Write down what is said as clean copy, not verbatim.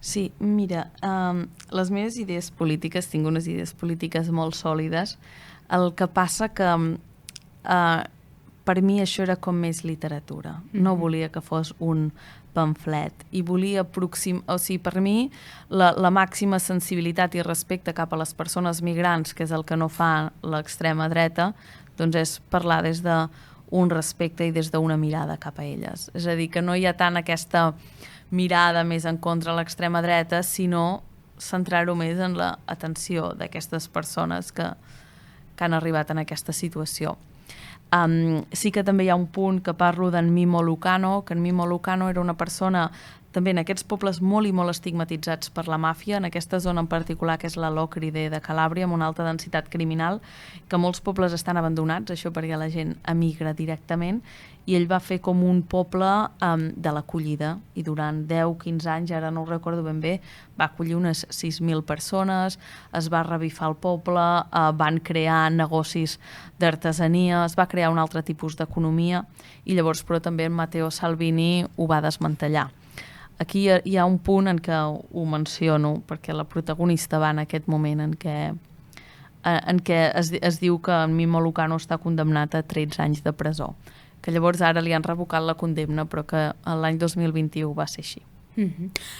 Sí, mira, les meves idees polítiques, tinc unes idees polítiques molt sòlides. El que passa que per mi això era com més literatura. No volia que fos un pamflet i volia o sigui, per mi la màxima sensibilitat i respecte cap a les persones migrants, que és el que no fa l'extrema dreta, doncs és parlar des d'un respecte i des d'una mirada cap a elles. És a dir, que no hi ha tant aquesta mirada més en contra de l'extrema dreta, sinó centrar-ho més en l'atenció d'aquestes persones que han arribat en aquesta situació. Sí que també hi ha un punt que parlo d'en Mimo Lucano, que en Mimo Lucano era una persona també en aquests pobles molt i molt estigmatitzats per la màfia, en aquesta zona en particular que és la Lòcride de Calàbria, amb una alta densitat criminal, que molts pobles estan abandonats, això perquè la gent emigra directament, i ell va fer com un poble de l'acollida, i durant 10-15 anys, ara no ho recordo ben bé, va acollir unes 6.000 persones, es va revifar el poble, van crear negocis d'artesania, es va crear un altre tipus d'economia, i llavors però també en Matteo Salvini ho va desmantellar. Aquí hi ha un punt en què ho menciono, perquè la protagonista va en aquest moment en què es diu que en Mimo Lucano està condemnat a 13 anys de presó, que llavors ara li han revocat la condemna, però que l'any 2021 va ser així.